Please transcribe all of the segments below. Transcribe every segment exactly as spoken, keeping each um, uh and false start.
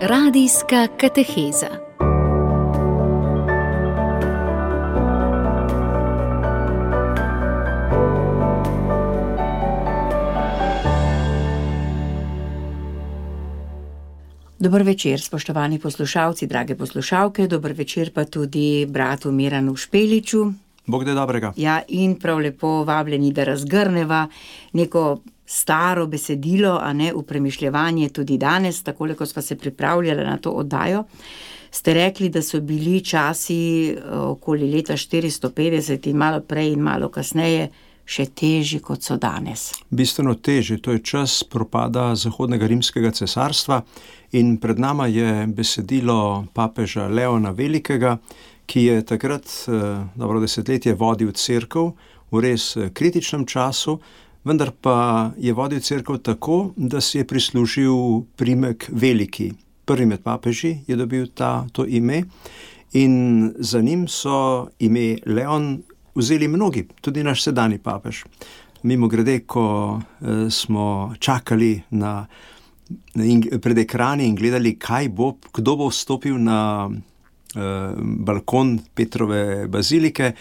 Radijska kateheza. Dober večer, spoštovani poslušalci, drage poslušalke, dober večer pa tudi bratu Miranu Špeliču. Bog da dobrega. Ja, in prav lepo vabljeni, da razgrneva neko staro besedilo, a ne v premišljevanje tudi danes, takole, ko sva se pripravljala na to oddajo. Ste rekli, da so bili časi okoli leta štiristo petdeset in malo prej in malo kasneje še težji, kot so danes. Bistveno težji, to je čas propada Zahodnega rimskega cesarstva in pred nama je besedilo papeža Leona Velikega, ki je takrat dobro desetletje vodil cerkev v res kritičnem času, vendar pa je vodil cerkev tako, da si je prislužil priimek Veliki. Prvi med papeži je dobil ta, to ime in za njim so ime Leon vzeli mnogi, tudi naš sedanji papež. Mimogrede, ko eh, smo čakali na, in, pred ekrani in gledali, kaj bo, kdo bo vstopil na eh, balkon Petrove bazilike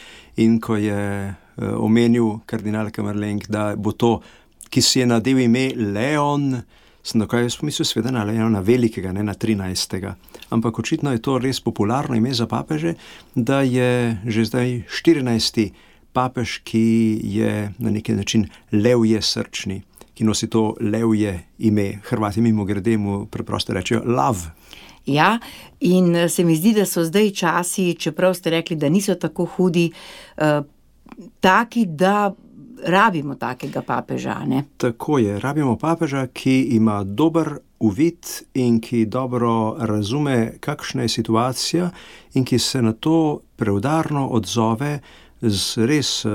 in ko je eh, omenil kardinal Kamerleng, da bo to, ki si je nadel ime Leon, sem takoj pomislil sveda na Leona Velikega, ne na trinajstega. Ampak očitno je to res popularno ime za papeže, da je že zdaj štirinajsti papež, ki je na neki način levje srčni, ki nosi to levje ime. Hrvati mimogrede mu preprosto rečejo lav. Ja, in se mi zdi, da so zdaj časi, čeprav ste rekli, da niso tako hudi, eh, taki, da rabimo takega papeža, ne? Tako je, rabimo papeža, ki ima dober uvid in ki dobro razume, kakšna je situacija in ki se na to preudarno odzove z res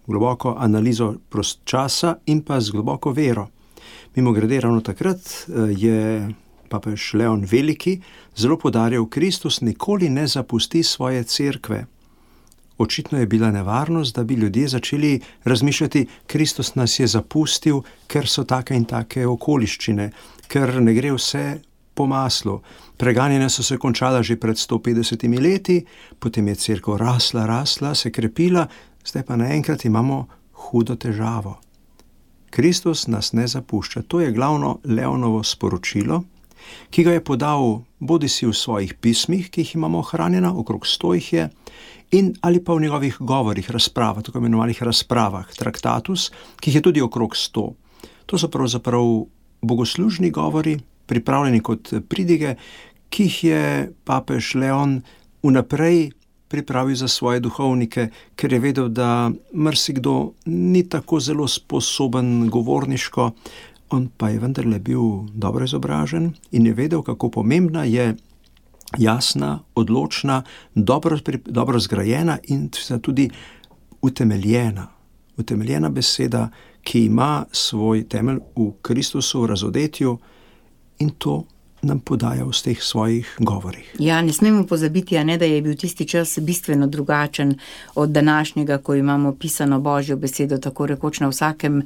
globoko analizo časa in pa z globoko vero. Mimogrede, ravno takrat je papež Leon Veliki zelo poudarjal, Kristus nikoli ne zapusti svoje cerkve. Očitno je bila nevarnost, da bi ljudje začeli razmišljati, Kristus nas je zapustil, ker so take in take okoliščine, ker ne gre vse po maslu. Preganjanja so se končala že pred sto petdesetimi leti, potem je cerkev rasla, rasla, se krepila, zdaj pa naenkrat imamo hudo težavo. Kristus nas ne zapušča. To je glavno Leonovo sporočilo, ki ga je podal bodisi v svojih pismih, ki jih imamo ohranjena, okrog sto jih je, in ali pa v njegovih govorih, razpravah, tako imenovanih razpravah, traktatus, ki jih je tudi okrog sto. To so pravzaprav bogoslužni govori, pripravljeni kot pridige, ki jih je papež Leon vnaprej pripravil za svoje duhovnike, ker je vedel, da marsikdo ni tako zelo sposoben govorniško, on pa je vendarle bil dobro izobražen in je vedel, kako pomembna je jasna, odločna, dobro, dobro zgrajena in tudi utemeljena. Utemeljena beseda, ki ima svoj temelj v Kristusu, v razodetju in to nam podaja v teh svojih govorih. Ja, ne smemo pozabiti, a ne, da je bil tisti čas bistveno drugačen od današnjega, ko imamo pisano Božjo besedo tako rekoč na vsakem uh,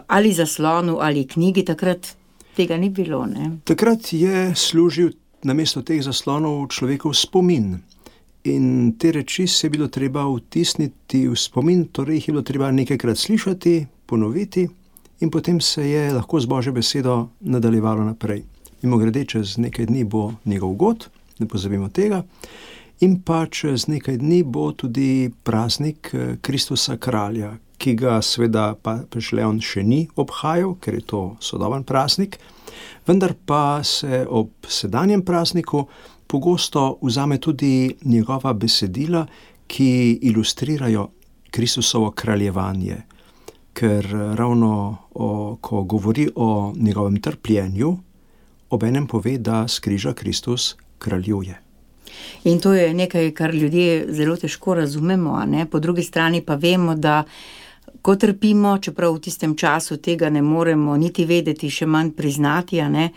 ali zaslonu ali knjigi. Takrat tega ni bilo, ne? Takrat je služil namesto teh zaslonov človekov spomin. In te reči se je bilo treba vtisniti v spomin, torej jih je bilo treba nekajkrat slišati, ponoviti in potem se je lahko z Božjo besedo nadaljevalo naprej. Mimogrede, čez nekaj dni bo njegov god, ne pozabimo tega, in pa čez nekaj dni bo tudi praznik Kristusa kralja, ki ga seveda papež Leon še ni obhajal, ker je to sodoben praznik, vendar pa se ob sedanjem prazniku pogosto vzame tudi njegova besedila, ki ilustrirajo Kristusovo kraljevanje, ker ravno o, ko govori o njegovem trpljenju, obenem pove, da s križa Kristus kraljuje. In to je nekaj, kar ljudje zelo težko razumemo, a ne? Po drugi strani pa vemo, da ko trpimo, čeprav v tistem času tega ne moremo niti vedeti, še manj priznati, a ne?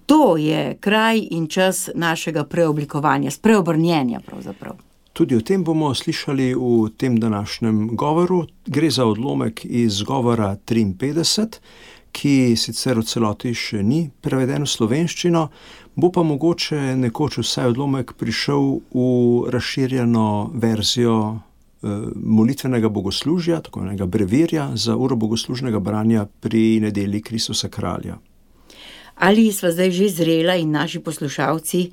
To je kraj in čas našega preoblikovanja, spreobrnjenja pravzaprav. Tudi o tem bomo slišali v tem današnjem govoru. Gre za odlomek iz govora triinpetdeset, ki sicer v celoti še ni preveden v slovenščino, bo pa mogoče nekoč vsaj odlomek prišel v razširjeno verzijo molitvenega bogoslužja, tako enega brevirja za uro bogoslužnega branja pri nedelji Kristusa kralja. Ali sva zdaj že zrela in naši poslušalci,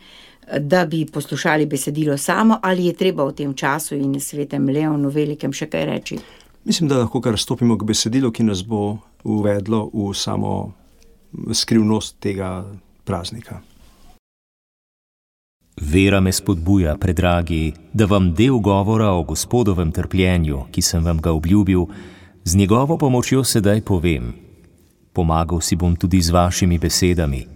da bi poslušali besedilo samo, ali je treba v tem času in svetem Leonu Velikem še kaj reči? Mislim, da lahko kar stopimo k besedilu, ki nas bo uvedlo v samo skrivnost tega praznika. Vera me spodbuja, predragi, da vam del govora o Gospodovem trpljenju, ki sem vam ga obljubil, z njegovo pomočjo sedaj povem. Pomagal si bom tudi z vašimi besedami.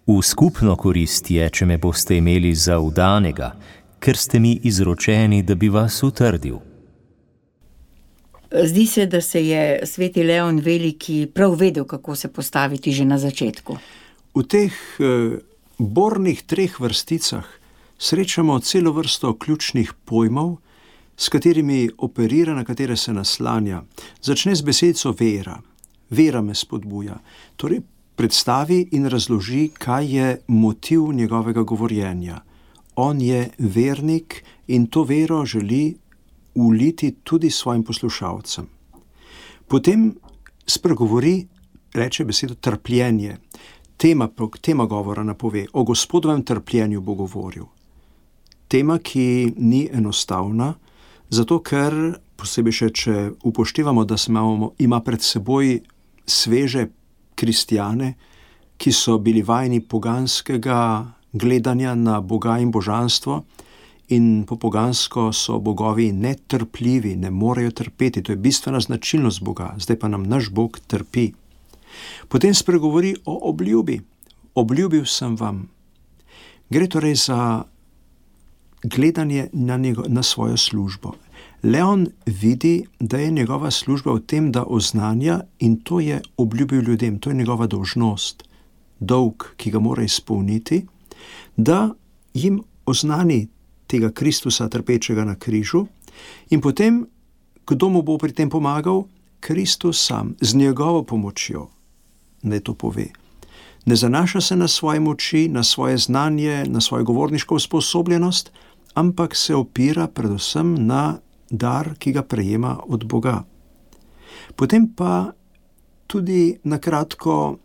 V skupno korist je, če me boste imeli za vdanega, ker ste mi izročeni, da bi vas utrdil. Zdi se, da se je sveti Leon Veliki prav vedel, kako se postaviti že na začetku. V teh eh... bornih treh vrsticah srečamo celo vrsto ključnih pojmov, s katerimi operira, na katere se naslanja. Začne z besedico vera. Vera me spodbuja. Torej predstavi in razloži, kaj je motiv njegovega govorjenja. On je vernik in to vero želi uliti tudi svojim poslušalcem. Potem spregovori, reče besedo trpljenje. Tema, tema govora napove, o Gospodovem trpljenju bo govoril. Tema, ki ni enostavna, zato ker, posebej še, če upoštevamo, da imamo, ima pred seboj sveže kristjane, ki so bili vajeni poganskega gledanja na Boga in božanstvo, in po pogansko so bogovi netrpljivi, ne morejo trpeti, to je bistvena značilnost Boga, zdaj pa nam naš Bog trpi. Potem spregovori o obljubi. Obljubil sem vam. Gre torej za gledanje na, njego, na svojo službo. Leon vidi, da je njegova služba v tem, da oznanja, in to je obljubil ljudem, to je njegova dolžnost, dolg, ki ga mora izpolniti, da jim oznani tega Kristusa trpečega na križu, in potem, kdo mu bo pri tem pomagal? Kristus sam, z njegovo pomočjo. Ne to pove. Ne zanaša se na svoje moči, na svoje znanje, na svojo govorniško usposobljenost, ampak se opira predvsem na dar, ki ga prejema od Boga. Potem pa tudi na kratko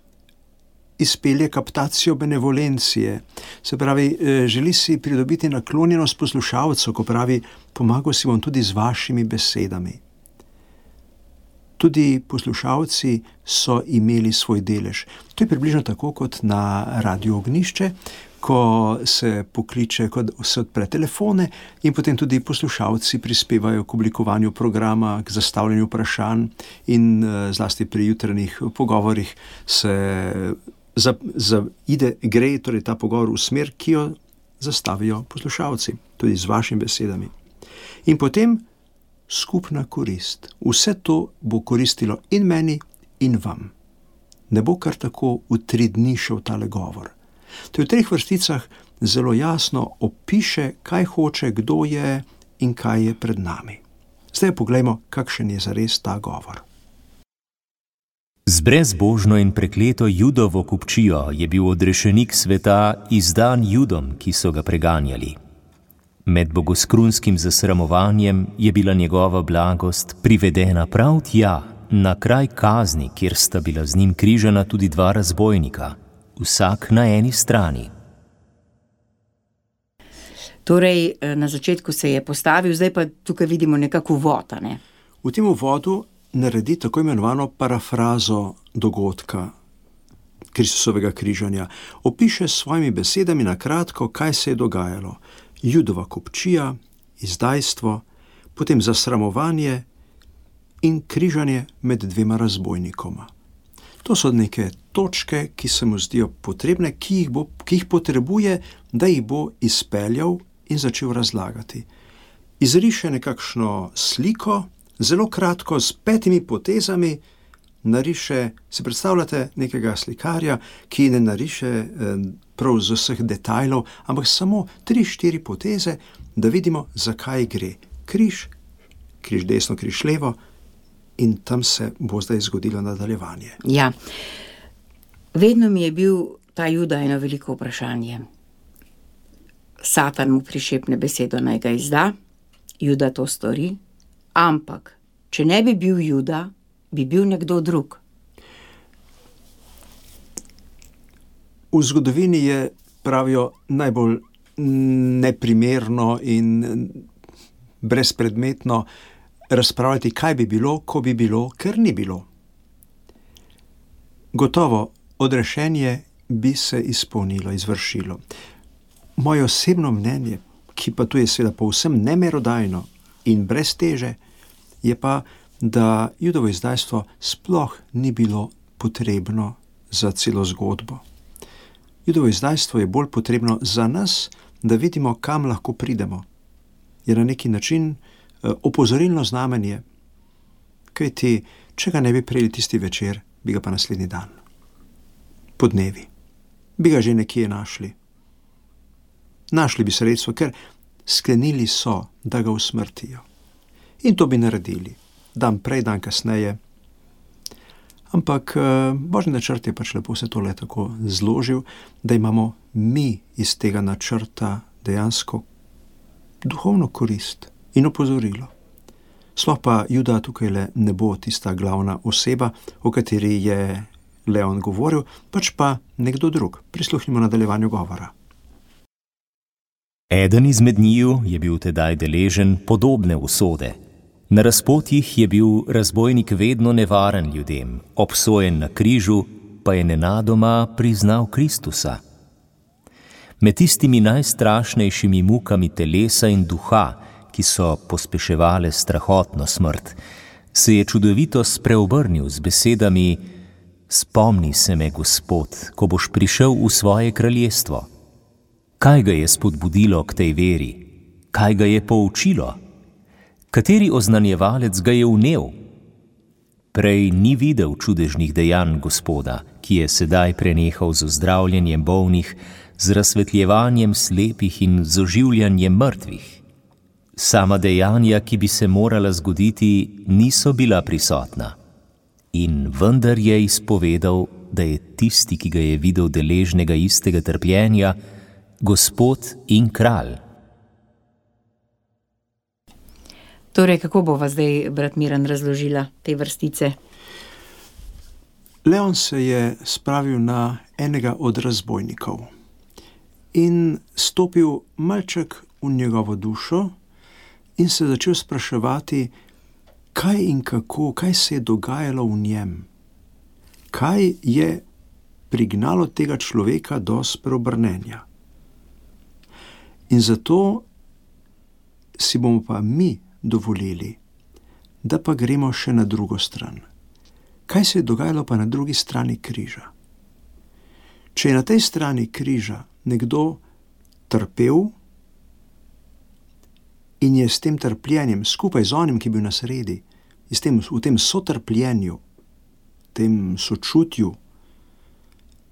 izpelje kaptacijo benevolencije. Se pravi, želi si pridobiti naklonjenost poslušalcev, ko pravi, pomagal si bom tudi z vašimi besedami. Tudi poslušalci so imeli svoj delež. To je približno tako kot na Radio Ognišče, ko se pokliče, ko se odpre telefone in potem tudi poslušalci prispevajo k oblikovanju programa, k zastavljanju vprašanj in zlasti pri jutranjih pogovorih se za, za ide, gre torej ta pogovor v smer, ki jo zastavijo poslušalci, tudi z vašimi besedami. In potem skupna korist. Vse to bo koristilo in meni, in vam. Ne bo kar tako v tri dni šel tale govor. To je v treh vrsticah zelo jasno opiše, kaj hoče, kdo je in kaj je pred nami. Zdaj poglejmo, kakšen je zares ta govor. Z brezbožno in prekleto Judovo kupčijo je bil odrešenik sveta izdan Judom, ki so ga preganjali. Med bogoskrunskim zasramovanjem je bila njegova blagost privedena prav tja, na kraj kazni, kjer sta bila z njim križana tudi dva razbojnika, vsak na eni strani. Torej, na začetku se je postavil, zdaj pa tukaj vidimo nekako uvod, ne? V tem uvodu naredi tako imenovano parafrazo dogodka Kristusovega križanja. Opiše s svojimi besedami na kratko, kaj se je dogajalo. Judova kupčija, izdajstvo, potem zasramovanje in križanje med dvema razbojnikoma. To so neke točke, ki se mu zdijo potrebne, ki jih, bo, ki jih potrebuje, da jih bo izpeljal in začel razlagati. Izriše nekakšno sliko, zelo kratko, s petimi potezami, nariše, si predstavljate nekega slikarja, ki ne nariše eh, prav z vseh detajlov, ampak samo tri, štiri poteze, da vidimo, zakaj gre. Križ, križ desno, križ levo, in tam se bo zdaj zgodilo nadaljevanje. Ja, vedno mi je bil ta Juda eno veliko vprašanje. Satan mu prišepne besedo, naj ga izda, Juda to stori, ampak če ne bi bil Juda, bi bil nekdo drug. V zgodovini je, pravijo, najbolj neprimerno in brezpredmetno razpravljati, kaj bi bilo, ko bi bilo, ker ni bilo. Gotovo, odrešenje bi se izpolnilo, izvršilo. Moje osebno mnenje, ki pa tu je seveda povsem nemerodajno in brez teže, je pa, da Judovo izdajstvo sploh ni bilo potrebno za celo zgodbo. Judovo izdajstvo je bolj potrebno za nas, da vidimo, kam lahko pridemo. Je na neki način opozorilno znamenje, kajti, če ga ne bi prejeli tisti večer, bi ga pa naslednji dan. Po dnevi. Bi ga že nekje našli. Našli bi sredstvo, ker sklenili so, da ga usmrtijo. In to bi naredili. Dan prej, dan kasneje. Ampak Božji načrt je pač lepo se tole tako zložil, da imamo mi iz tega načrta dejansko duhovno korist in opozorilo. Sploh pa Juda tukaj le ne bo tista glavna oseba, o kateri je Leon govoril, pač pa nekdo drug. Prisluhnimo nadaljevanju govora. Eden izmed njiju je bil tedaj deležen podobne usode. Na razpotjih je bil razbojnik vedno nevaren ljudem, obsojen na križu, pa je nenadoma priznal Kristusa. Med tistimi najstrašnejšimi mukami telesa in duha, ki so pospeševale strahotno smrt, se je čudovito spreobrnil z besedami: Spomni se me, Gospod, ko boš prišel v svoje kraljestvo. Kaj ga je spodbudilo k tej veri? Kaj ga je poučilo? Kateri oznanjevalec ga je vnel? Prej ni videl čudežnih dejanj Gospoda, ki je sedaj prenehal z ozdravljanjem bolnih, z razsvetljevanjem slepih in z oživljanjem mrtvih. Sama dejanja, ki bi se morala zgoditi, niso bila prisotna. In vendar je izpovedal, da je tisti, ki ga je videl deležnega istega trpljenja, Gospod in kralj. Torej, kako bova zdaj, brat Miran, razložila te vrstice? Leon se je spravil na enega od razbojnikov in stopil malček v njegovo dušo in se začel spraševati, kaj in kako, kaj se je dogajalo v njem. Kaj je prignalo tega človeka do spreobrnenja. In zato si bomo pa mi dovolili, da pa gremo še na drugo stran. Kaj se je dogajalo pa na drugi strani križa? Če je na tej strani križa nekdo trpel in je s tem trpljenjem, skupaj z onim, ki je bil na sredi, v tem, v tem sotrpljenju, tem sočutju,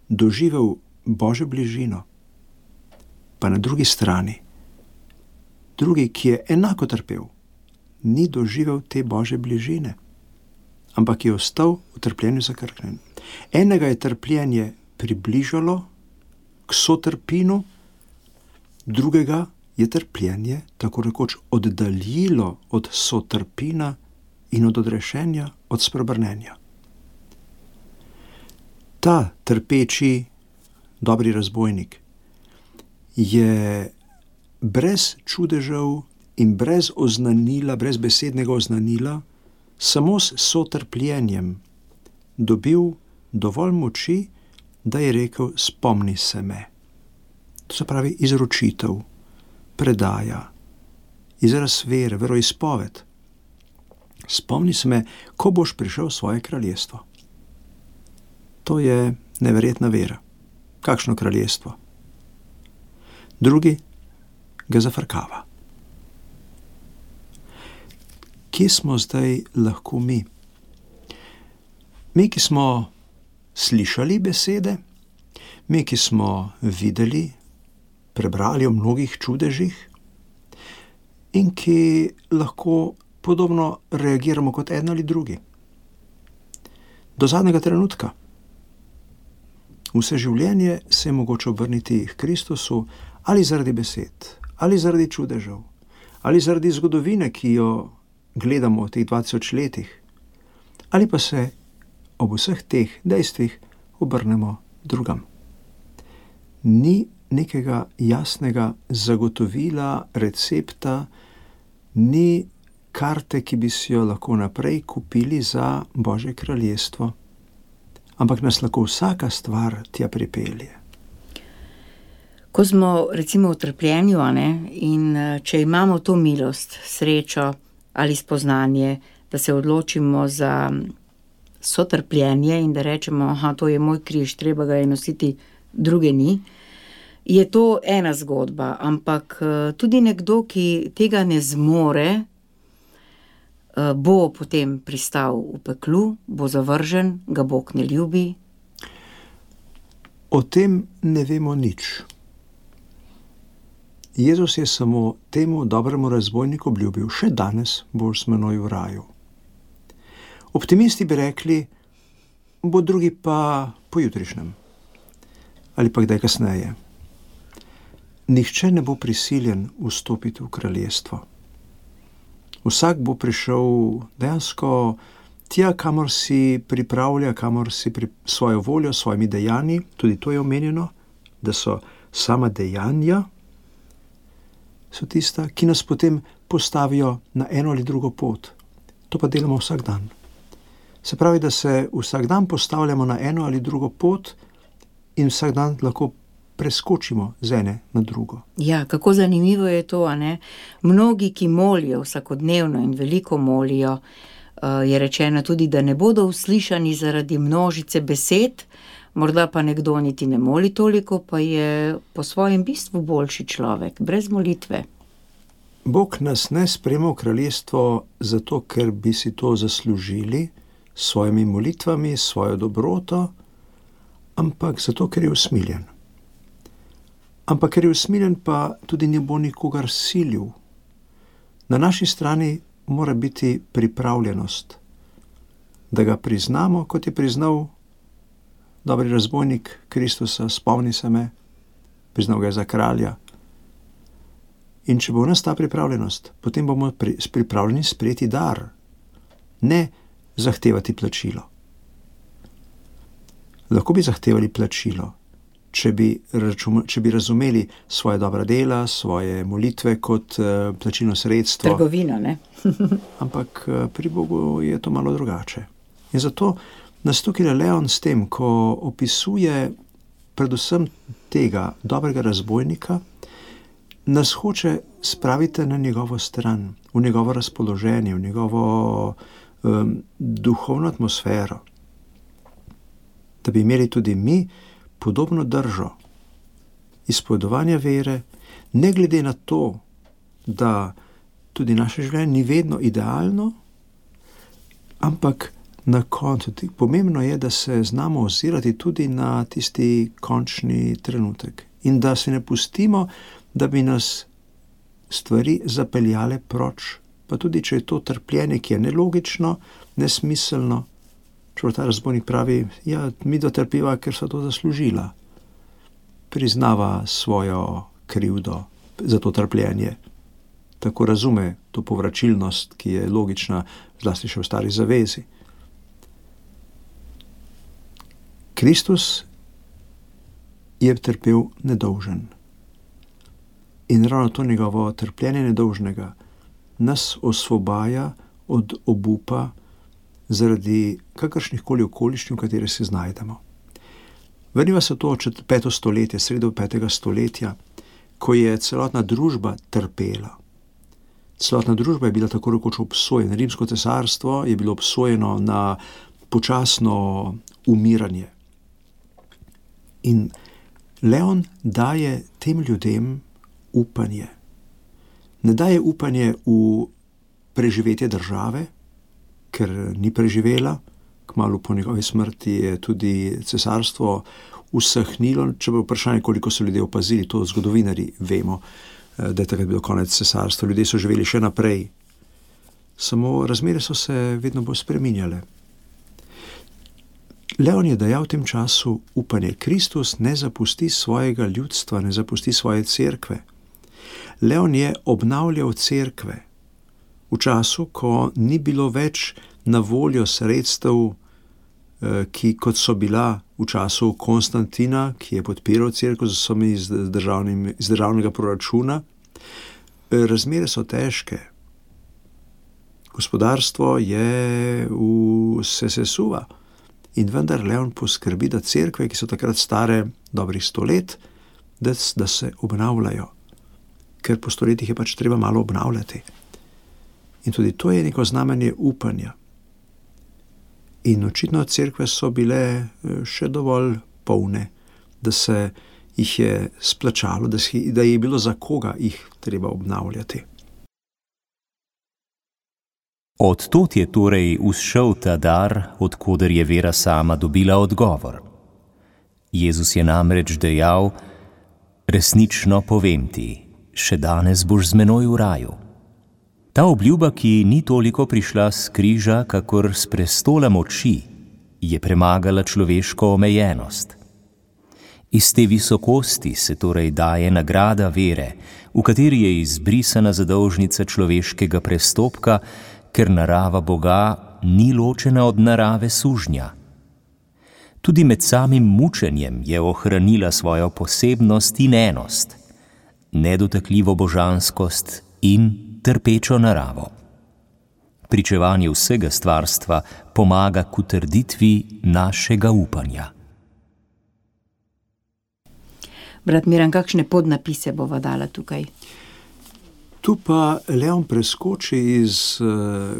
doživel Božjo bližino, pa na drugi strani, drugi, ki je enako trpel, ni doživel te Božje bližine, ampak je ostal v trpljenju zakrknjen. Enega je trpljenje približalo k sotrpinu, drugega je trpljenje tako rekoč oddaljilo od sotrpina in od odrešenja, od spreobrnenja. Ta trpeči dobri razbojnik je brez čudežev in brez oznanila, brez besednega oznanila, samo s sotrpljenjem dobil dovolj moči, da je rekel: spomni se me. To se pravi izročitev, predaja, izraz vere, veroizpoved. Spomni se me, ko boš prišel v svoje kraljestvo. To je neverjetna vera. Kakšno kraljestvo? Drugi ga zafrkava. Kje smo zdaj lahko mi? Mi, ki smo slišali besede, mi, ki smo videli, prebrali o mnogih čudežih in ki lahko podobno reagiramo kot eden ali drugi. do zadnjega trenutka. Vse življenje se je mogoče obrniti k Kristusu ali zaradi besed, ali zaradi čudežev, ali zaradi zgodovine, ki jo gledamo v teh dva tisoč letih, ali pa se ob vseh teh dejstvih obrnemo drugam. Ni nekega jasnega zagotovila, recepta, ni karte, ki bi si jo lahko naprej kupili za Božje kraljestvo, ampak nas lahko vsaka stvar tja pripelje. Ko smo recimo v trpljenju, a ne, in če imamo to milost, srečo ali spoznanje, da se odločimo za sotrpljenje in da rečemo, aha, to je moj križ, treba ga je nositi, druge ni, je to ena zgodba, ampak tudi nekdo, ki tega ne zmore, bo potem pristal v peklu, bo zavržen, ga Bog ne ljubi. O tem ne vemo nič. Jezus je samo temu dobremu razbojniku obljubil, še danes boš z menoj v raju. Optimisti bi rekli, bo drugi pa pojutrišnjem ali pa kdaj kasneje. Nihče ne bo prisiljen vstopiti v kraljestvo. Vsak bo prišel dejansko tja, kamor si pripravlja, kamor si pri svojo voljo, svojimi dejanji, tudi to je omenjeno, da so sama dejanja, so tista, ki nas potem postavijo na eno ali drugo pot. To pa delamo vsak dan. Se pravi, da se vsak dan postavljamo na eno ali drugo pot in vsak dan lahko preskočimo z ene na drugo. Ja, kako zanimivo je to, a ne? Mnogi, ki molijo vsakodnevno in veliko molijo, je rečeno tudi, da ne bodo uslišani zaradi množice besed, morda pa nekdo niti ne moli toliko, pa je po svojem bistvu boljši človek, brez molitve. Bog nas ne sprejema v kraljestvo zato, ker bi si to zaslužili s svojimi molitvami, svojo dobroto, ampak zato, ker je usmiljen. Ampak ker je usmiljen, pa tudi ne bo nikogar silil. Na naši strani mora biti pripravljenost, da ga priznamo, kot je priznal dobri razbojnik Kristusa, spomni se me, priznal ga je za kralja. In če bo v nas ta pripravljenost, potem bomo pri, pripravljeni sprejeti dar, ne zahtevati plačilo. Lahko bi zahtevali plačilo, če bi, račun, če bi razumeli svoje dobra dela, svoje molitve kot uh, plačilno sredstvo. Trgovina, ne? Ampak uh, pri Bogu je to malo drugače. In zato nas tukaj Leon s tem, ko opisuje predvsem tega dobrega razbojnika, nas hoče spraviti na njegovo stran, v njegovo razpoloženje, v njegovo um, duhovno atmosfero, da bi imeli tudi mi podobno držo izpovedovanja vere, ne glede na to, da tudi naše življenje ni vedno idealno, ampak na koncu pomembno je, da se znamo ozirati tudi na tisti končni trenutek in da se ne pustimo, da bi nas stvari zapeljale proč, pa tudi, če je to trpljenje, ki je nelogično, nesmiselno. Čeprav ta razbojnik pravi, ja, mi dotrpiva, ker so to zaslužila. Priznava svojo krivdo za to trpljenje. Tako razume to povračilnost, ki je logična, zlasti še v stari zavezi. Kristus je trpel nedolžen. In ravno to njegovo trpljenje nedolžnega nas osvobaja od obupa zaradi kakršnihkoli okoliščin, v kateri se znajdemo. Vrniva se to peto stoletje, sredo petega stoletja, ko je celotna družba trpela. Celotna družba je bila tako rekoč obsojena. Rimsko cesarstvo je bilo obsojeno na počasno umiranje. In Leon daje tem ljudem upanje. Ne daje upanje v preživetje države, ker ni preživela. Kmalu po njegovi smrti je tudi cesarstvo usahnilo, če bo vprašanje, koliko so ljudje opazili, to zgodovinari vemo, da je takrat bilo konec cesarstva. Ljudje so živeli še naprej. Samo razmere so se vedno bolj spreminjale. Leon je dejal v tem času upanje. Kristus ne zapusti svojega ljudstva, ne zapusti svoje cerkve. Leon je obnavljal cerkve v času, ko ni bilo več na voljo sredstev, ki kot so bila v času Konstantina, ki je podpiral cerkev z vsemi iz, iz državnega proračuna. Razmere so težke. Gospodarstvo je v, se sesuva in vendar Leon poskrbi, da cerkve, ki so takrat stare dobrih sto let, da, da se obnavljajo. Ker po stoletjih je pač treba malo obnavljati. In tudi to je neko znamenje upanja. In očitno cerkve so bile še dovolj polne, da se jih je splačalo, da, si, da je bilo za koga jih treba obnavljati. Od tod je torej vzšel ta dar, od koder je vera sama dobila odgovor. Jezus je namreč dejal: resnično povem ti, še danes boš z menoj v raju. Ta obljuba, ki ni toliko prišla s križa, kakor s prestola moči, je premagala človeško omejenost. Iz te visokosti se torej daje nagrada vere, v kateri je izbrisana zadolžnica človeškega prestopka, ker narava Boga ni ločena od narave sužnja. Tudi med samim mučenjem je ohranila svojo posebnost in enost, nedotakljivo božanskost in trpečo naravo. Pričevanje vsega stvarstva pomaga k utrditvi našega upanja. Brat Miran, kakšne podnapise bova dala tukaj? Tu pa Leon preskoči iz uh,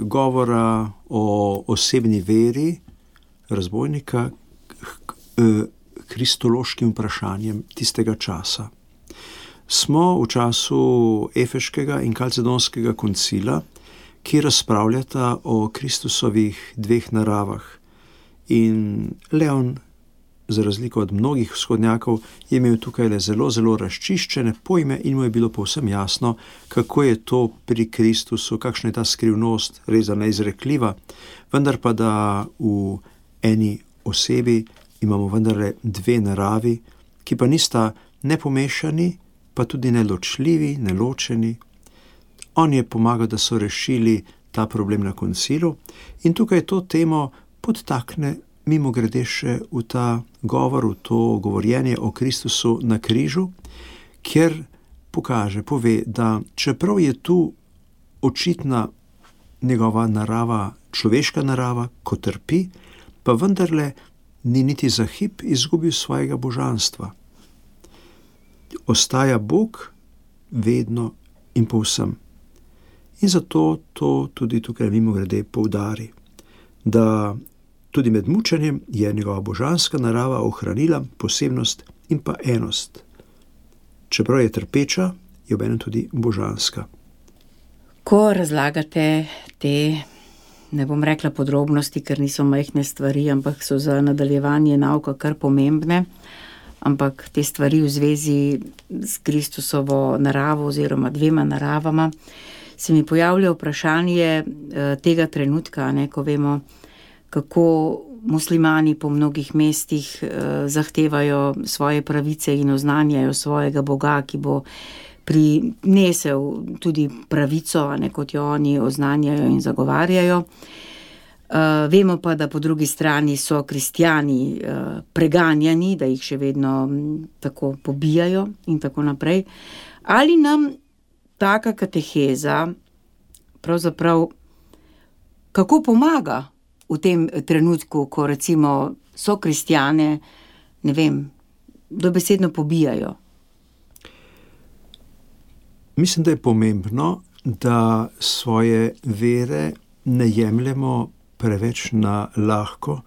govora o osebni veri razbojnika k uh, kristološkim vprašanjem tistega časa. Smo v času Efeškega in Kalcedonskega koncila, ki razpravljata o Kristusovih dveh naravah. In Leon, za razliko od mnogih vzhodnjakov, je imel tukaj le zelo, zelo razčiščene pojme in mu je bilo povsem jasno, kako je to pri Kristusu, kakšna je ta skrivnost, res neizrekljiva, vendar pa da v eni osebi imamo vendarle dve naravi, ki pa nista nepomešani, pa tudi neločljivi, neločeni. On je pomagal, da so rešili ta problem na koncilu in tukaj to temo podtakne mimo grede še v ta govor, v to govorjenje o Kristusu na križu, kjer pokaže, pove, da čeprav je tu očitna njegova narava, človeška narava, ko trpi, pa vendarle ni niti za hip izgubil svojega božanstva. Ostaja Bog vedno in povsem. In zato to tudi tukaj mimo grede poudari, da tudi med mučenjem je njegova božanska narava ohranila posebnost in pa enost. Čeprav je trpeča, je obenem tudi božanska. Ko razlagate te, ne bom rekla podrobnosti, ker niso majhne stvari, ampak so za nadaljevanje nauka kar pomembne, ampak te stvari v zvezi s Kristusovo naravo oziroma dvema naravama, se mi pojavlja vprašanje tega trenutka, ne, ko vemo, kako muslimani po mnogih mestih zahtevajo svoje pravice in oznanjajo svojega Boga, ki bo prinesel tudi pravico, ne, kot jo oni oznanjajo in zagovarjajo. Uh, vemo pa, da po drugi strani so kristjani uh, preganjani, da jih še vedno m, tako pobijajo in tako naprej. Ali nam taka kateheza pravzaprav kako pomaga v tem trenutku, ko recimo so kristjane, ne vem, dobesedno pobijajo? Mislim, da je pomembno, da svoje vere ne jemljemo preveč na lahko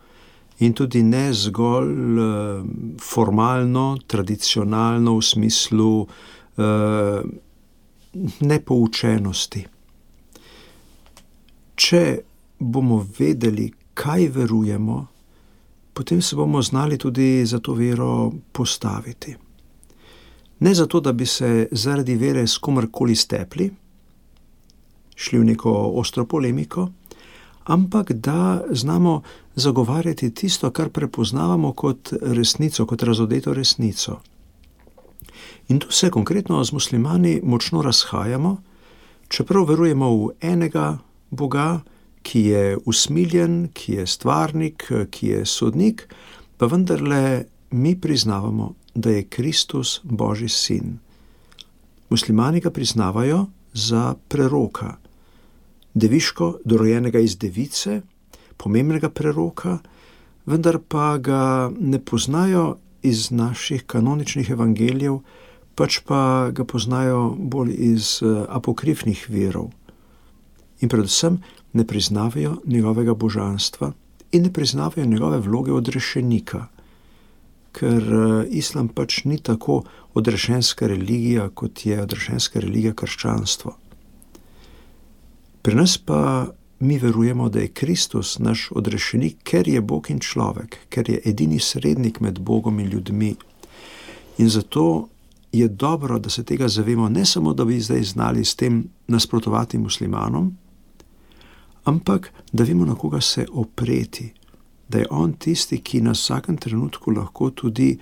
in tudi ne zgolj uh, formalno, tradicionalno v smislu uh, nepoučenosti. Če bomo vedeli, kaj verujemo, potem se bomo znali tudi za to vero postaviti. Ne zato, da bi se zaradi vere s komarkoli stepli, šli v neko ostro polemiko, ampak da znamo zagovarjati tisto, kar prepoznavamo kot resnico, kot razodeto resnico. In tu se konkretno z muslimani močno razhajamo, čeprav verujemo v enega Boga, ki je usmiljen, ki je stvarnik, ki je sodnik, pa vendarle mi priznavamo, da je Kristus Božji sin. Muslimani ga priznavajo za preroka, deviško dorojenega iz device, pomembnega preroka, vendar pa ga ne poznajo iz naših kanoničnih evangelijev, pač pa ga poznajo bolj iz apokrifnih virov. In predvsem ne priznavajo njegovega božanstva in ne priznavajo njegove vloge odrešenika, ker islam pač ni tako odrešenska religija, kot je odrešenska religija krščanstvo. Pri nas pa mi verujemo, da je Kristus naš odrešenik, ker je Bog in človek, ker je edini srednik med Bogom in ljudmi. In zato je dobro, da se tega zavemo, ne samo, da bi zdaj znali s tem nasprotovati muslimanom, ampak da vemo, na koga se opreti, da je on tisti, ki nas v vsakem trenutku lahko tudi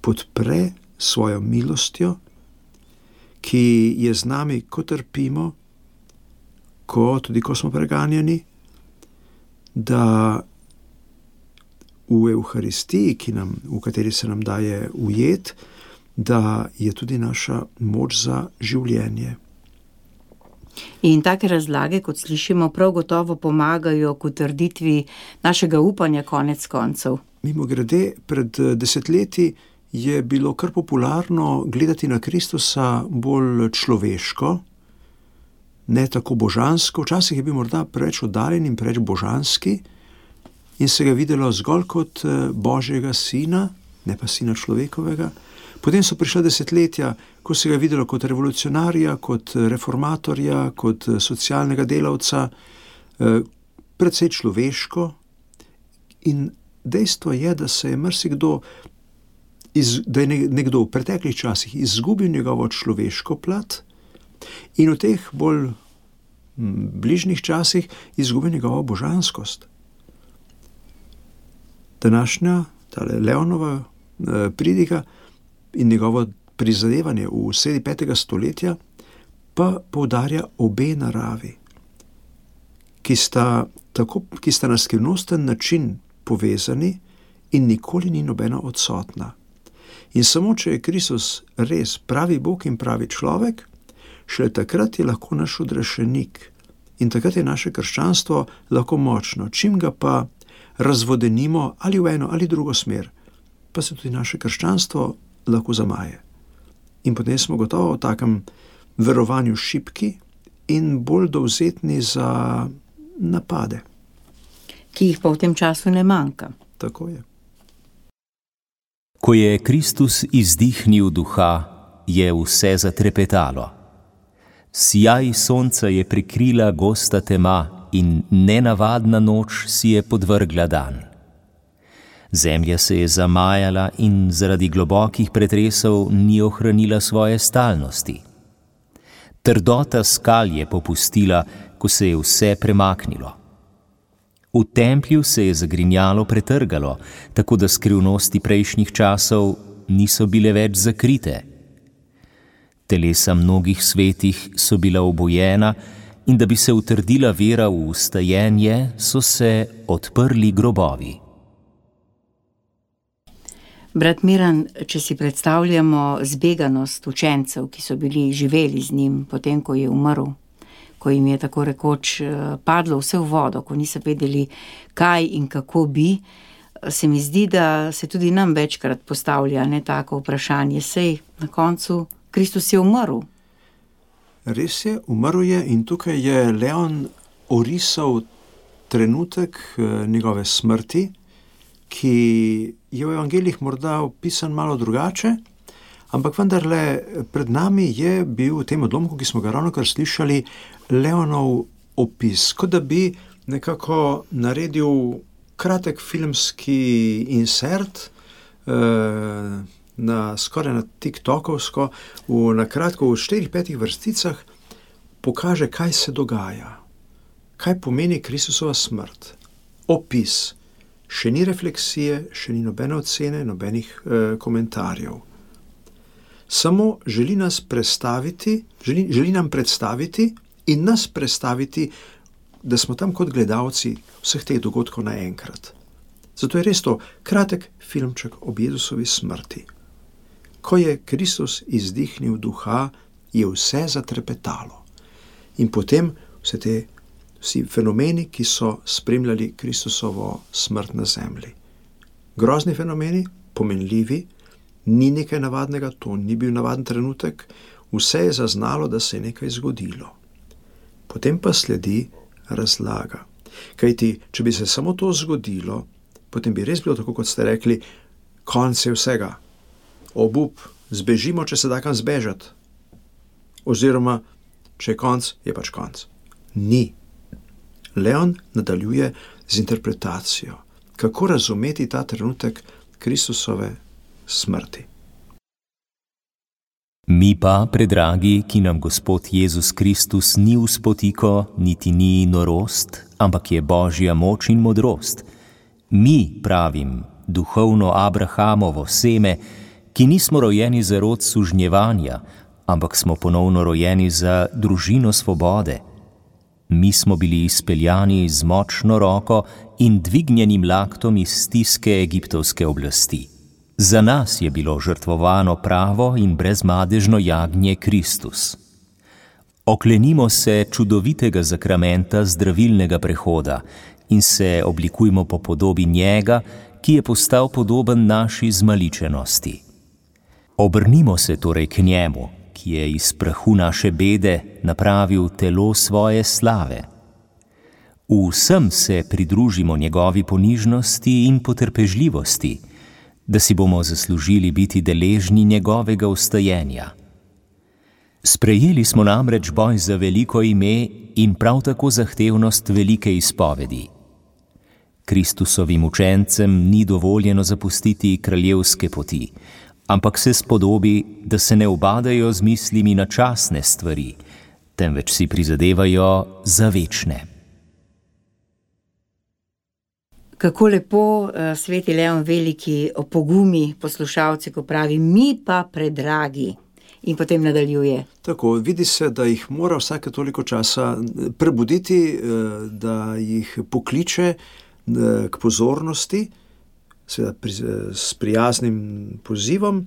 podpre svojo milostjo, ki je z nami, ko trpimo, ko, tudi ko smo preganjani, da v Evharistiji, ki nam, v kateri se nam daje ujet, da je tudi naša moč za življenje. In take razlage, kot slišimo, prav gotovo pomagajo k utrditvi našega upanja konec koncev. Mimogrede, pred desetletji je bilo kar popularno gledati na Kristusa bolj človeško, ne tako božansko. Včasih je bil morda preveč oddaljen in preveč božanski in se ga videlo zgolj kot Božjega sina, ne pa sina človekovega. Potem so prišla desetletja, ko se ga videlo kot revolucionarja, kot reformatorja, kot socialnega delavca, precej človeško. In dejstvo je, da se je marsikdo, da je nekdo v preteklih časih izgubil njegovo človeško plat in v teh bolj bližnjih časih izgubil njegovo božanskost. Današnja, tale Leonova pridiga in njegovo prizadevanje v sredi petega stoletja pa poudarja obe naravi, ki sta, tako, ki sta na skrivnosten način povezani in nikoli ni nobena odsotna. In samo, če je Kristus res pravi Bog in pravi človek, šele takrat je lahko naš odrešenik in takrat je naše krščanstvo lahko močno. Čim ga pa razvodenimo ali v eno ali drugo smer, pa se tudi naše krščanstvo lahko zamaje. In potem smo gotovo v takem verovanju šibki in bolj dovzetni za napade. Ki jih pa v tem času ne manjka. Tako je. Ko je Kristus izdihnil duha, je vse zatrepetalo. Sijaj sonca je prikrila gosta tema in nenavadna noč si je podvrgla dan. Zemlja se je zamajala in zaradi globokih pretresov ni ohranila svoje stalnosti. Trdota skal je popustila, ko se je vse premaknilo. V templju se je zagrinjalo pretrgalo, tako da skrivnosti prejšnjih časov niso bile več zakrite. Telesa mnogih svetih so bila obojena in da bi se utrdila vera v vstajenje, so se odprli grobovi. Brat Miran, če si predstavljamo zbeganost učencev, ki so bili živeli z njim, potem ko je umrl, ko jim je tako rekoč padlo vse v vodo, ko niso vedeli, kaj in kako bi, se mi zdi, da se tudi nam večkrat postavlja ne tako vprašanje. Sej na koncu Kristus je umrl. Res je, umrl je in tukaj je Leon orisal trenutek njegove smrti, ki je v evangelijih morda opisan malo drugače, ampak vendarle pred nami je bil v tem odlomku, ki smo ga ravnokar slišali, Leonov opis, kot da bi nekako naredil kratek filmski insert, eh, na, skoraj na tiktokovsko, v, na kratko v štirih, petih vrsticah pokaže, kaj se dogaja. kaj pomeni Kristusova smrt. Opis. Še ni refleksije, še ni nobene ocene, nobenih eh, komentarjev. Samo želi nas predstaviti, želi, želi nam predstaviti in nas predstaviti, da smo tam kot gledalci vseh teh dogodkov naenkrat. Zato je res to kratek filmček o Jezusovi smrti. Ko je Kristus izdihnil duha, je vse zatrepetalo. In potem vse te vsi fenomeni, ki so spremljali Kristusovo smrt na zemlji. Grozni fenomeni, pomenljivi, ni nekaj navadnega, to ni bil navaden trenutek, vse je zaznalo, da se je nekaj zgodilo. Potem pa sledi razlaga. Kajti, če bi se samo to zgodilo, potem bi res bilo tako, kot ste rekli, konec je vsega. Obup, zbežimo, če se da kam zbežati. Oziroma, če je konec, je pač konec. Ni. Leon nadaljuje z interpretacijo, kako razumeti ta trenutek Kristusove smrti. Mi pa, predragi, ki nam Gospod Jezus Kristus ni v spotiko, niti ni norost, ampak je Božja moč in modrost. Mi, pravim, duhovno Abrahamovo seme, ki nismo rojeni za rod sužnjevanja, ampak smo ponovno rojeni za družino svobode. Mi smo bili izpeljani z močno roko in dvignjenim laktom iz stiske egiptovske oblasti. Za nas je bilo žrtvovano pravo in brezmadežno jagnje Kristus. Oklenimo se čudovitega zakramenta zdravilnega prehoda in se oblikujmo po podobi njega, ki je postal podoben naši zmaličenosti. Obrnimo se torej k njemu, ki je iz prahu naše bede napravil telo svoje slave. V vsem se pridružimo njegovi ponižnosti in potrpežljivosti, da si bomo zaslužili biti deležni njegovega vstajenja. Sprejeli smo namreč boj za veliko ime in prav tako zahtevnost velike izpovedi. Kristusovim učencem ni dovoljeno zapustiti kraljevske poti, ampak se spodobi, da se ne ubadajo z mislimi na časne stvari, temveč si prizadevajo za večne. Kako lepo uh, sveti Leon Veliki opogumi poslušalce, ko pravi, mi pa predragi, in potem nadaljuje. Tako, vidi se, da jih mora vsake toliko časa prebuditi, uh, da jih pokliče uh, k pozornosti, seveda pri, s prijaznim pozivom,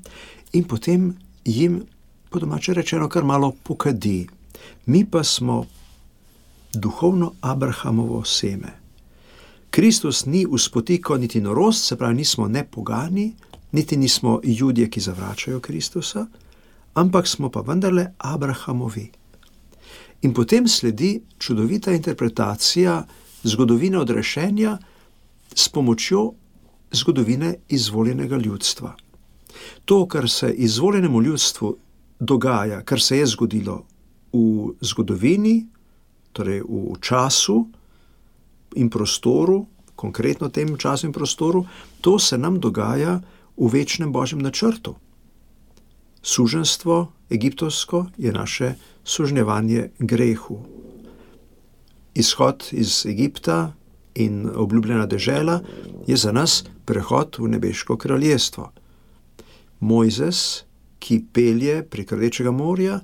in potem jim, po domače rečeno, kar malo pokadi. Mi pa smo duhovno Abrahamovo seme. Kristus ni v spotiko niti norost, se pravi, nismo ne pogani, niti nismo Judje, ki zavračajo Kristusa, ampak smo pa vendarle Abrahamovi. In potem sledi čudovita interpretacija zgodovine odrešenja s pomočjo zgodovine izvoljenega ljudstva. To, kar se izvoljenemu ljudstvu dogaja, kar se je zgodilo v zgodovini, torej v času in prostoru, konkretno tem času in prostoru, to se nam dogaja v večnem Božjem načrtu. Suženstvo egiptovsko je naše sužnjevanje grehu. Izhod iz Egipta in obljubljena dežela je za nas prehod v nebeško kraljestvo. Mojzes, ki pelje prek Rdečega morja,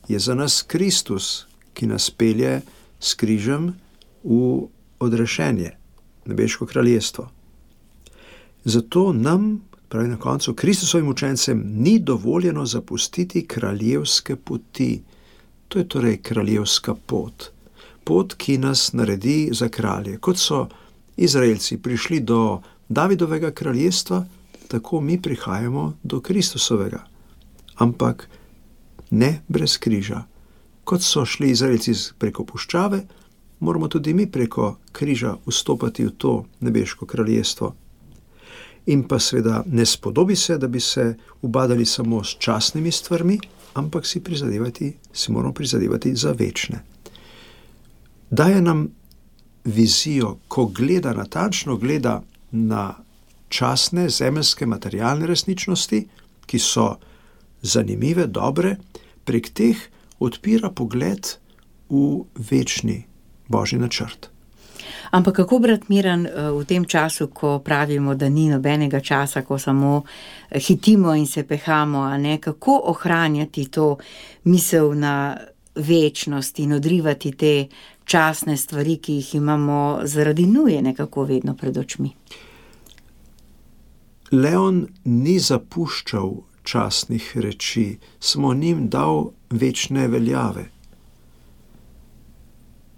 je za nas Kristus, ki nas pelje s križem v odrešenje, nebeško kraljestvo. Zato nam, pravi na koncu, Kristusovim učencem ni dovoljeno zapustiti kraljevske poti. To je torej kraljevska pot. Pot, ki nas naredi za kralje. Kot so Izraelci prišli do Davidovega kraljestva, tako mi prihajamo do Kristusovega. Ampak ne brez križa. Kot so šli Izraelci preko puščave, moramo tudi mi preko križa vstopati v to nebeško kraljestvo. In pa seveda ne spodobi se, da bi se ubadali samo s časnimi stvarmi, ampak si prizadevati, si moramo prizadevati za večne. Daje nam vizijo, ko gleda, natančno gleda na časne, zemeljske, materialne resničnosti, ki so zanimive, dobre, prek teh odpira pogled v večni, Božji načrt. Ampak kako, brat Miran, v tem času, ko pravimo, da ni nobenega časa, ko samo hitimo in se pehamo, a ne, kako ohranjati to misel na večnost in odrivati te časne stvari, ki jih imamo zaradi nuje nekako vedno pred očmi? Leon ni zapuščal časnih reči, samo njim dal večne veljave.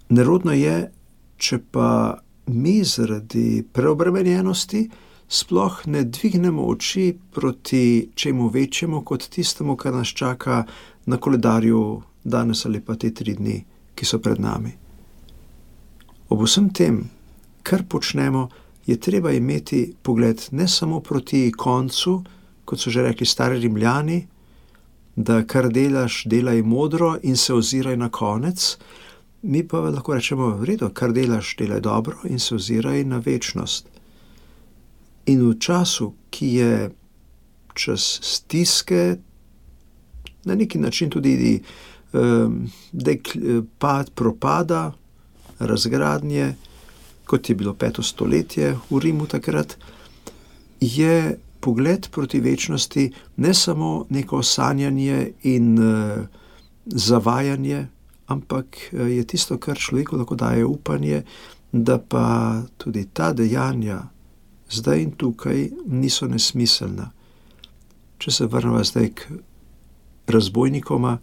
Nerodno je, če pa mi zaradi preobremenjenosti sploh ne dvignemo oči proti čemu večjemu kot tistemu, kar nas čaka na koledarju danes ali pa te tri dni, ki so pred nami. Ob vsem tem, kar počnemo, je treba imeti pogled ne samo proti koncu, kot so že rekli stari Rimljani, da kar delaš, delaj modro in se oziraj na konec. Mi pa lahko rečemo, v redu, kar delaš, delaj dobro in se oziraj na večnost. In v času, ki je čas stiske, na neki način tudi um, dek, pad, propada, razgradnje, kot je bilo peto stoletje v Rimu takrat, je pogled proti večnosti ne samo neko sanjanje in uh, zavajanje, ampak je tisto, kar človeku lahko daje upanje, da pa tudi ta dejanja zdaj in tukaj niso nesmiselna. Če se vrnemo zdaj k razbojnikoma,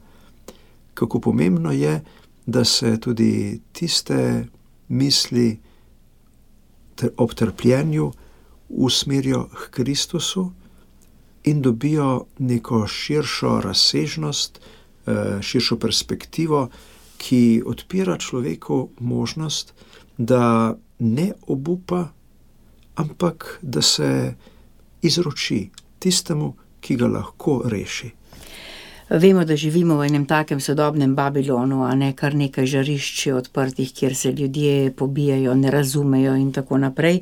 kako pomembno je, da se tudi tiste misli ob trpljenju usmerijo k Kristusu in dobijo neko širšo razsežnost, širšo perspektivo, ki odpira človeku možnost, da ne obupa, ampak da se izroči tistemu, ki ga lahko reši. Vemo, da živimo v enem takem sodobnem Babilonu, a ne kar nekaj žarišč odprtih, kjer se ljudje pobijajo, ne razumejo in tako naprej.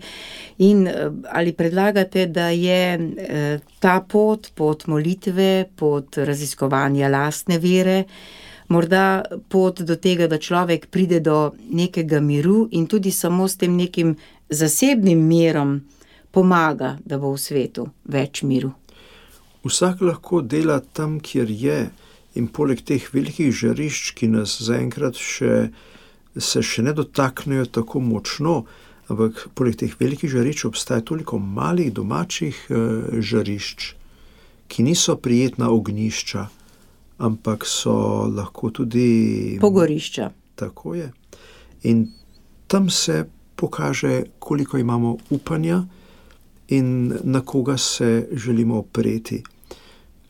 In ali predlagate, da je ta pot, pot molitve, pot raziskovanja lastne vere, morda pot do tega, da človek pride do nekega miru in tudi samo s tem nekim zasebnim mirom pomaga, da bo v svetu več miru? Vsak lahko dela tam, kjer je, in poleg teh velikih žarišč, ki nas zaenkrat še, se še ne dotaknejo tako močno, ampak poleg teh velikih žarišč obstaja toliko malih domačih uh, žarišč, ki niso prijetna ognjišča, ampak so lahko tudi pogorišča. Tako je. In tam se pokaže, koliko imamo upanja in na koga se želimo opreti.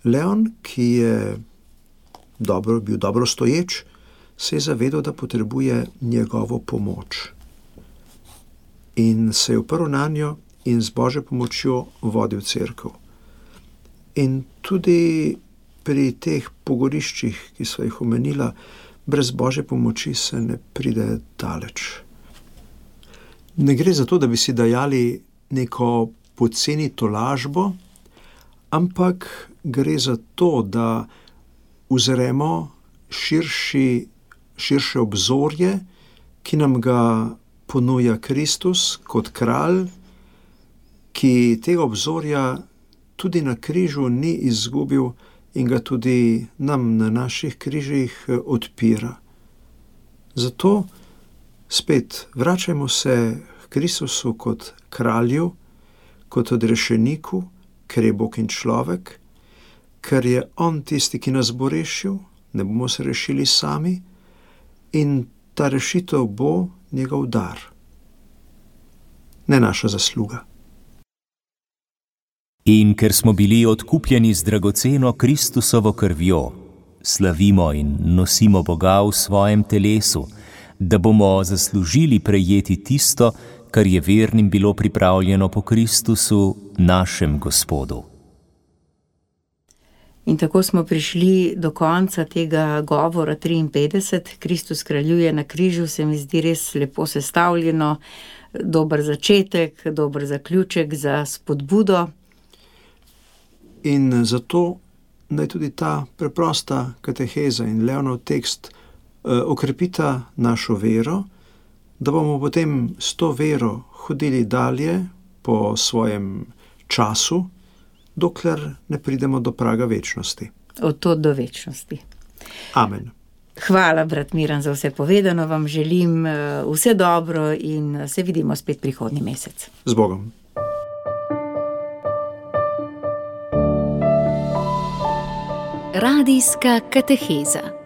Leon, ki je dobro, bil dobro stoječ, se je zavedal, da potrebuje njegovo pomoč. In se je oprl nanjo in z Božjo pomočjo vodil cerkev. In tudi pri teh pogoriščih, ki sva jih omenila, brez Božje pomoči se ne pride daleč. Ne gre za to, da bi si dajali neko poceni tolažbo, ampak gre za to, da uzremo širši, širše obzorje, ki nam ga ponuja Kristus kot kralj, ki tega obzorja tudi na križu ni izgubil in ga tudi nam na naših križih odpira. Zato spet vračajmo se k Kristusu kot kralju, kot odrešeniku, ker je Bog in človek, ker je on tisti, ki nas bo rešil, ne bomo se rešili sami in ta rešitev bo njegov dar, ne naša zasluga. In ker smo bili odkupljeni z dragoceno Kristusovo krvjo, slavimo in nosimo Boga v svojem telesu, da bomo zaslužili prejeti tisto, kar je vernim bilo pripravljeno po Kristusu, našem Gospodu. In tako smo prišli do konca tega govora triinpetdeset. Kristus kraljuje na križu, se mi zdi res lepo sestavljeno, dober začetek, dober zaključek za spodbudo. In zato naj tudi ta preprosta kateheza in Leonov tekst eh, okrepita našo vero, da bomo potem s to vero hodili dalje po svojem času, dokler ne pridemo do praga večnosti. Od tod do večnosti. Amen. Hvala, brat Miran, za vse povedano. Vam želim vse dobro in se vidimo spet prihodnji mesec. Z Bogom. Radijska kateheza.